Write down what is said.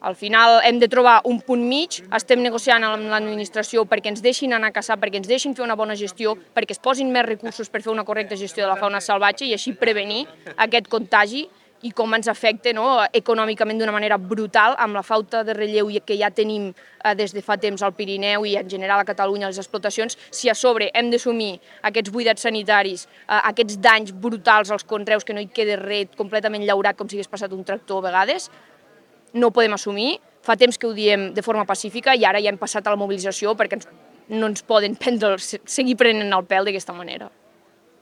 Al final hem de trobar un punt mig, estem negociant amb l'administració perquè ens deixin anar a caçar, perquè ens deixin fer una bona gestió, perquè es posin més recursos per fer una correcta gestió de la fauna salvatge i així prevenir aquest contagi i com ens afecta econòmicament d'una manera brutal amb la falta de relleu que ja tenim des de fa temps al Pirineu i en general a Catalunya les explotacions. Si a sobre hem d'assumir aquests buidats sanitaris, aquests danys brutals als conreus, que no hi queda res completament llaurat com si hagués passat un tractor a vegades, no ho podem assumir. Fa temps que ho diem de forma pacífica i ara ja hem passat a la mobilització perquè no ens poden seguir prenent el pèl d'aquesta manera.